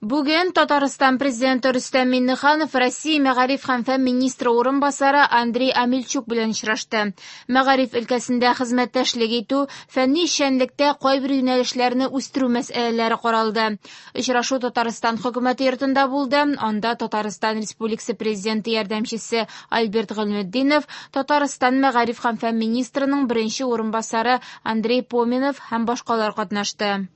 Бүген Татарстан Президенты Рөстәм Миңнеханов Россия мәгариф һәм фән министры урынбасары Андрей Омельчук белән очрашты. Мәгариф өлкәсендә хезмәттәшлек итү, фәнни эшчәнлектә кайбер юнәлешләрне үстерү мәсьәләләре каралды. Очрашу Татарстан Хөкүмәте йортында булды. Анда Татарстан Республикасы Президенты ярдәмчесе Альберт Гыйльметдинов, Татарстан мәгариф һәм фән министрының беренче урынбасары Андрей Поминов һәм башкалар катнашты.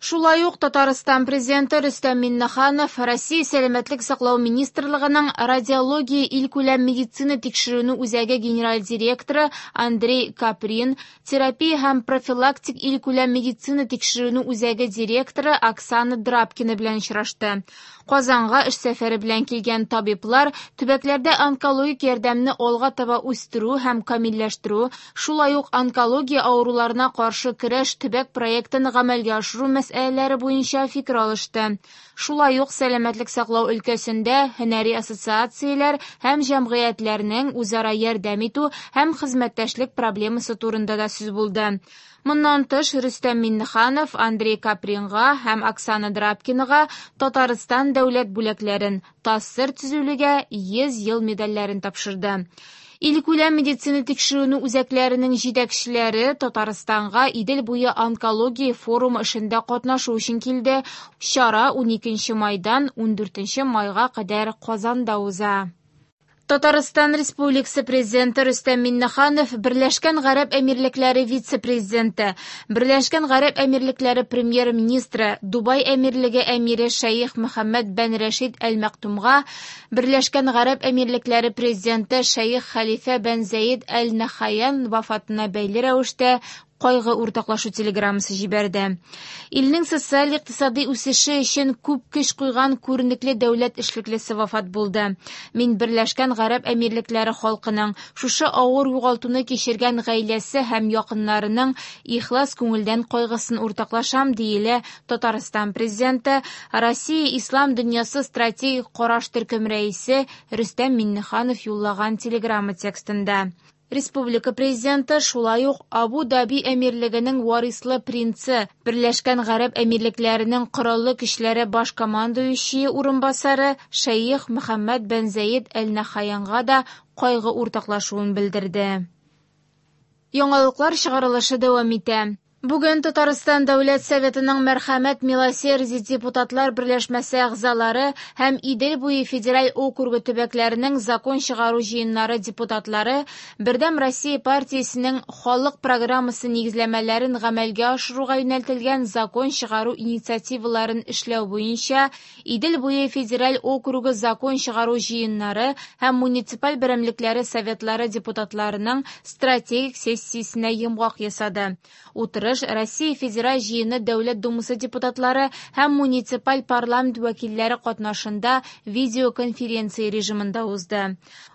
Шулай ук Татарстан Президенты Рөстәм Миңнеханов Россия Сәламәтлек саклау министрлыгының Радиология илкүләм медицина тикшеренү үзәге генераль директоры Андрей Каприн, терапия һәм профилактик илкүләм медицина тикшеренү үзәге директоры Оксана Драпкина белән очрашты. Казанга эш сәфәре белән килгән табиблар төбәкләрдә онкологик ярдәмне алга таба үстерү һәм камилләштерү, шулай ук онкология авыруларына каршы көрәш төбәк проектын гамәлгә ашыру мәсьәләләре буенча фикер алышты. Шулай ук сәламәтлек саклау өлкәсендә һөнәри ассоциацияләр һәм җәмгыятьләрнең үзара ярдәм итү һәм хезмәттәшлек проблемасы турында да сүз булды. Моннан тыш, Рөстәм Миңнеханов Андрей Капринга һәм Оксана Драпкинага Татарстан дәүләт бүләкләрен, ТАССР төзелүгә 100 ел медальләрен тапшырды. Илкүләм медицина тикшеренү үзәкләренең җитәкчеләре Татарстанга Идел буе онкология форумы эшендә катнашу өчен килде. Чара 12 майдан 14 майга кадәр Казанда уза. Татарстан Республикасы Президенты Рөстәм Миңнеханов Берләшкән Гарәп Әмирлекләре вице-президенты, Берләшкән Гарәп Әмирлекләре премьер-министры, Дубай Әмирлеге әмире Шәех Мөхәммәд бән Рәшид Әл-Мәктумга Берләшкән Гарәп Әмирлекләре президенты Шәех Хәлифә бән Зәед Әл-Нахаян вафатына бәйле рәвештә кайгы уртаклашу телеграммасы җибәрде. Илнең социаль-икътисади үсеше өчен күп көч куйган күренекле дәүләт эшлеклесе вафат булды. Мин Берләшкән Гарәп Әмирлекләре халкының шушы авыр югалтуны кичергән гаиләсе һәм якыннарының ихлас күңелдән кайгысын уртаклашам, диелә Татарстан президенты, Россия Ислам дөньясы стратегик караш төркем рәисе Рөстәм Миңнеханов юллаган телеграмма текстында. Республика президенты шулай ук Абу-Даби әмирлегенең варислы принцы, Берләшкән Гарәп Әмирлекләренең Кораллы көчләре баш командующие урынбасары Шәех Мөхәммәд бән Зәед Әл-Нахаянга да кайгы уртаклашуын белдерде. Яңалыклар чыгарылышы дәвам итә. Бүген Татарстан Дәүләт Советының Мәрхәмәт Милосердие депутатлар берләшмәсе әгъзалары һәм Идел буе федераль округы төбәкләренең закон чыгару җыеннары депутатлары Бердәм Россия партиясенең халык программасы нигезләмәләрен гамәлгә ашыруга юнәлтелгән закон чыгару инициативаларын эшләү буенча Идел буе федераль округы закон чыгару җыеннары һәм муниципаль берәмлекләре советлары депутатларының стратегик сессиясенә йомгак ясады. Утырыш Россия Федераль җыены Дәүләт Думасы депутатлары һәм муниципаль парламент вәкилләре катнашында видеоконференция режимында узды.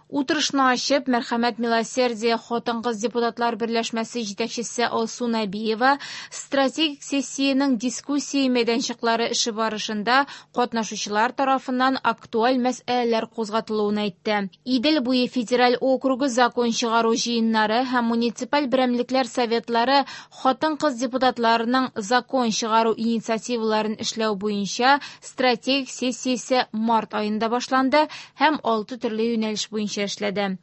Утырышны ачып, Мәрхәмәт Милосердие хатын-кыз депутатлар берләшмәсе җитәкчесе Алсу Нәбиева стратегик сессиянең дискуссия мәйданчыклары эше барышында катнашучылар тарафыннан актуаль мәсьәләләр кузгатылуын әйтте. Идел буе федераль округы закон чыгару җыеннары һәм муниципаль берәмлекләр советлары хатын-кыз депутатларының закон чыгару инициативаларын эшләү буенча стратегик сессиясе март аенда башланды һәм 6 төрле юнәлеш буенча эшләде.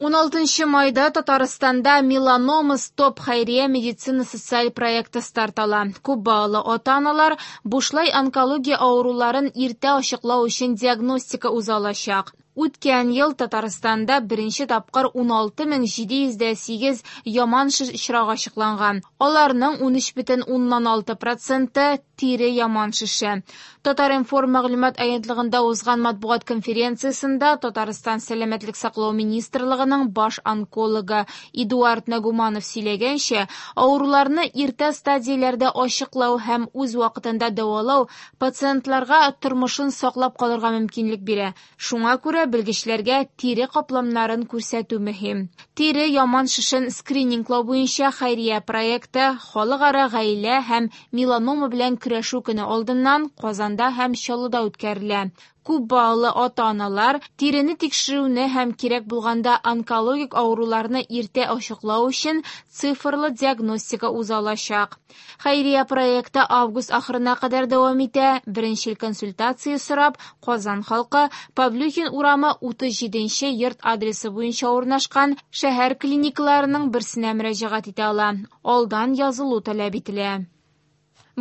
16 майда Татарстанда Меланома Стоп хәйрия медицина социаль проекты старт ала. Күп балалы ата-аналар бушлай онкология авыруларын иртә ачыклау өчен диагностика уза алачак. Үткән ел Татарстанда беренче тапкыр 16708 яман шеш очрагы ачыкланган. Аларның 13,6% тире яман шеше. Татар-информ мәгълүмат агентлыгында узган матбугат конференциясендә Татарстан Сәламәтлек саклау министрлыгының баш онкологы Эдуард Нагуманов сөйләгәнчә, авыруларны иртә стадияләрдә ачыклау һәм үз вакытында дәвалау пациентларга тормышын саклап калырга мөмкинлек бирә. Шуңа күрә белгечләргә тире капламнарын күрсәтү мөһим. Тире яман шешен скрининглау буенча хәйрия проекты Халыкара гаилә һәм меланома белән көрәшү көне алдыннан Казанда һәм Чаллыда үткәрелә. Күп балалы ата-аналар тирене тикшерүне һәм кирәк булганда онкологик авыруларны иртә ачыклау өчен цифрлы диагностика уза алачак. Хәйрия проекты август ахырына кадәр дәвам итә. Беренчел консультация сорап, Казан халкы Павлюхин урамы 37 нче йорт адресы буенча урнашкан шәһәр клиникаларының берсенә мөрәҗәгать итә ала. Алдан язылу таләп ителә.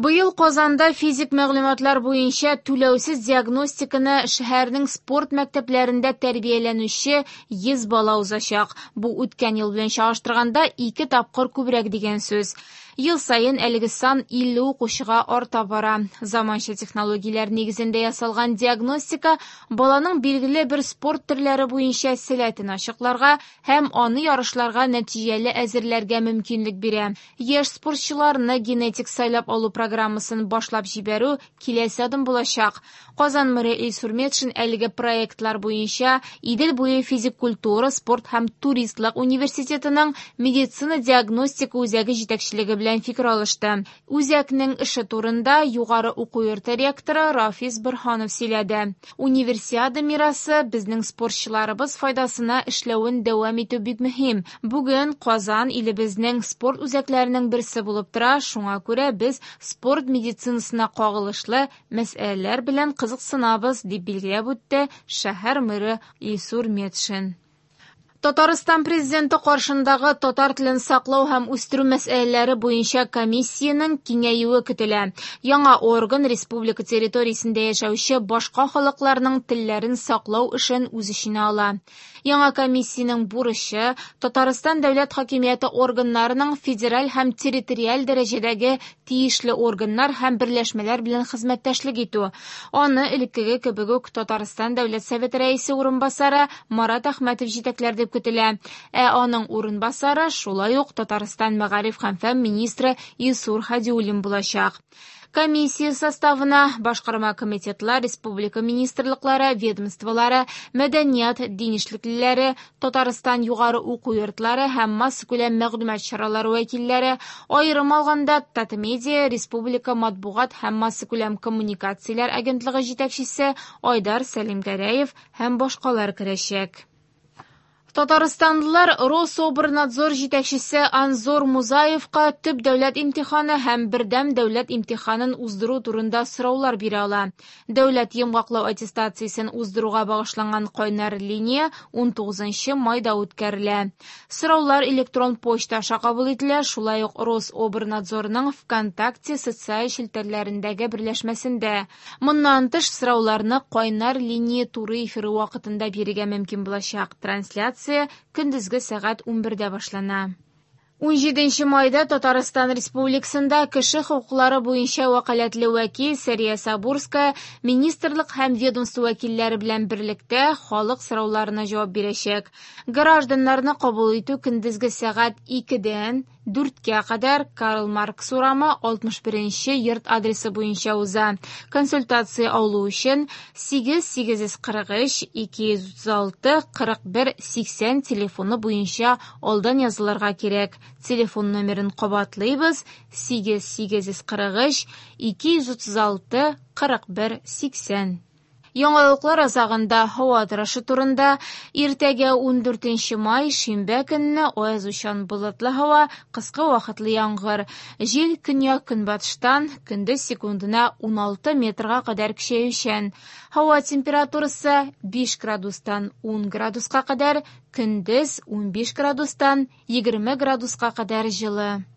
Быел Казанда физик мәгълүматлар буенча түләүсез диагностиканы шәһәрнең спорт мәктәпләрендә тәрбияләнүче 100 бала узачак. Бу үткән ел белән чагыштырганда ике тапкыр күбрәк дигән сүз. Ел саен әлеге сан 50 укучыга арта бара. Заманча технологияләр нигезендә ясалган диагностика баланың билгеле бер спорт төрләре буенча сәләтен ачыкларга һәм аны ярышларга нәтиҗәле әзерләргә мөмкинлек бирә. Яшь спортчыларны генетик сайлап алу программасын башлап җибәрү киләсе адым булачак. Казан мэры Илсур Метшин әлеге проектлар буенча Идел буе физик культура, спорт һәм туристлык университетының медицина диагностика үзәге җитәкчелеге белән фикер алышты. Үзәкнең эше турында югары уку йорты ректоры Рафис Борһанов сөйләде. Универсиада мирасы безнең спортчыларыбыз файдасына эшләвен дәвам итү бик мөһим. Бүген Казан илебезнең спорт үзәкләренең берсе булып тора, шуңа күрә без спорт медицинасына кагылышлы мәсьәләләр белән кызыксынабыз, дип билгеләп үтте шәһәр мэры Илсур Метшин. Татарстан президенты каршындагы татар телен саклау һәм үстерү мәсьәләләре буенча комиссиянең киңәюе көтелә. Яңа орган республика территориясендә яшәүче башка халыкларның телләрен саклау эшен үз эченә ала. Яңа комиссиянең бурычы Татарстан дәүләт хакимияте органнарының федераль һәм территориаль дәрәҗәдәге тиешле органнар һәм берләшмәләр белән хезмәттәшлек итү. Аны элеккеге кебек үк Татарстан Дәүләт Советы рәисе урынбасары Марат Әхмәтов җитәкләр дип көтелә. Ә аның урынбасары шулай ук Татарстан мәгариф һәм фән министры Илсур Һадиуллин булачак. Комиссия составына башкарма комитетлар, республика министрлыклары, ведомстволары, мәдәният, дин эшлеклеләре, Татарстан югары уку йортлары һәм массакүләм мәгълүмат чаралары вәкилләре, аерым алганда Татмедиа республика матбугат һәм массакүләм коммуникацияләр агентлыгы җитәкчесе Айдар Сәлимгәрәев һәм башкалар керәчәк. Татарстанлылар Рособрнадзор җитәкчесе Анзор Музаевка төп дәүләт имтиханы һәм бердәм дәүләт имтиханын уздыру турында сораулар бирә ала. Дәүләт йомгаклау аттестациясен уздыруга багышланган кайнар линия 19 майда үткәрелә. Сораулар электрон почта аша кабул ителә, шулай ук Рособрнадзорның ВКонтакте социаль челтәрләрендәге берләшмәсендә. Моннан тыш сорауларны кайнар линия туры эфиры вакытында бирергә мөмкин булачак. Трансляция көндезге сәгать 11-дә башлана. 17 майда Татарстан Республикасында кеше хокуклары буенча вәкаләтле вәкил Сәрия Сабурская министрлык һәм ведомство вәкилләре белән берлектә халык сорауларына җавап бирәчәк. Гражданнарны кабул итү көндезге сәгать 2-дән 4-кә кадәр Карл Маркс урамы 61 йорт адресы буенча уза. Консультация алу өчен 8 843 236 41 80 телефоны буенча алдан язылырга кирәк. Телефон номерын кабатлыйбыз: 8 843 236 41 80. Яңалыклар азагында һава торышы турында. Иртәгә 14 май шимбә көнне аязучан болытлы һава, кыска вакытлы яңгыр. Җил көньяк-көнбатыштан көндез секундына 16 метрга кадәр көчәючән. Һава температурасы 5 градустан 10 градуска кадәр, көндез 15 градустан 20 градуска кадәр җылы.